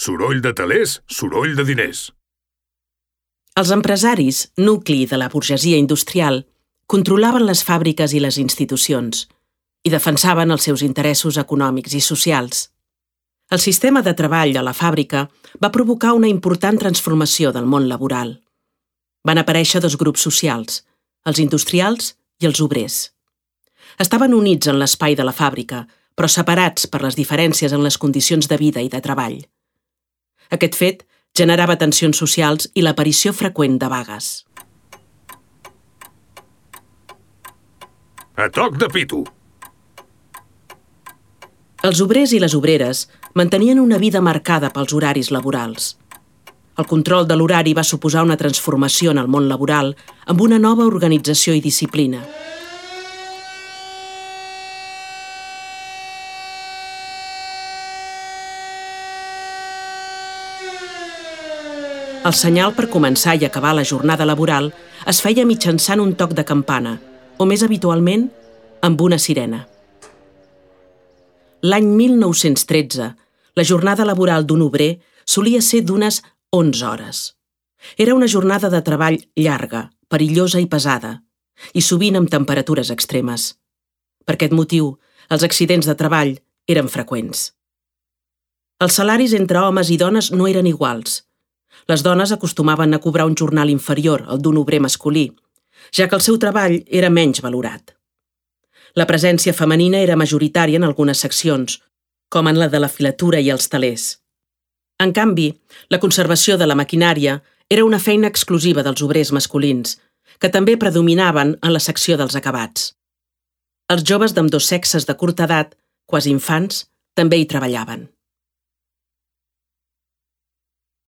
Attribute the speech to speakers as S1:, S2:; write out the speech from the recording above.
S1: Soroll de telers, soroll de diners.
S2: Els empresaris, nucli de la burgesia industrial, controlaven les fàbriques i les institucions i defensaven els seus interessos econòmics i socials. El sistema de treball a la fàbrica va provocar una important transformació del món laboral. Van aparèixer dos grups socials, els industrials i els obrers. Estaven units en l'espai de la fàbrica, però separats per les diferències en les condicions de vida i de treball. Aquest fet generava tensions socials i l'aparició freqüent de vagues.
S1: A toc de pito.
S2: Els obrers i les obreres mantenien una vida marcada pels horaris laborals. El control de l'horari va suposar una transformació en el món laboral amb una nova organització i disciplina. El senyal per començar i acabar la jornada laboral es feia mitjançant un toc de campana, o més habitualment, amb una sirena. L'any 1913, la jornada laboral d'un obrer solia ser d'unes 11 hores. Era una jornada de treball llarga, perillosa i pesada, i sovint amb temperatures extremes. Per aquest motiu, els accidents de treball eren freqüents. Els salaris entre homes i dones no eren iguals. Les dones acostumaven a cobrar un jornal inferior al d'un obrer masculí, ja que el seu treball era menys valorat. La presència femenina era majoritària en algunes seccions, com en la de la filatura i els telers. En canvi, la conservació de la maquinària era una feina exclusiva dels obrers masculins, que també predominaven en la secció dels acabats. Els joves d'ambdós sexes de curta edat, quasi infants, també hi treballaven.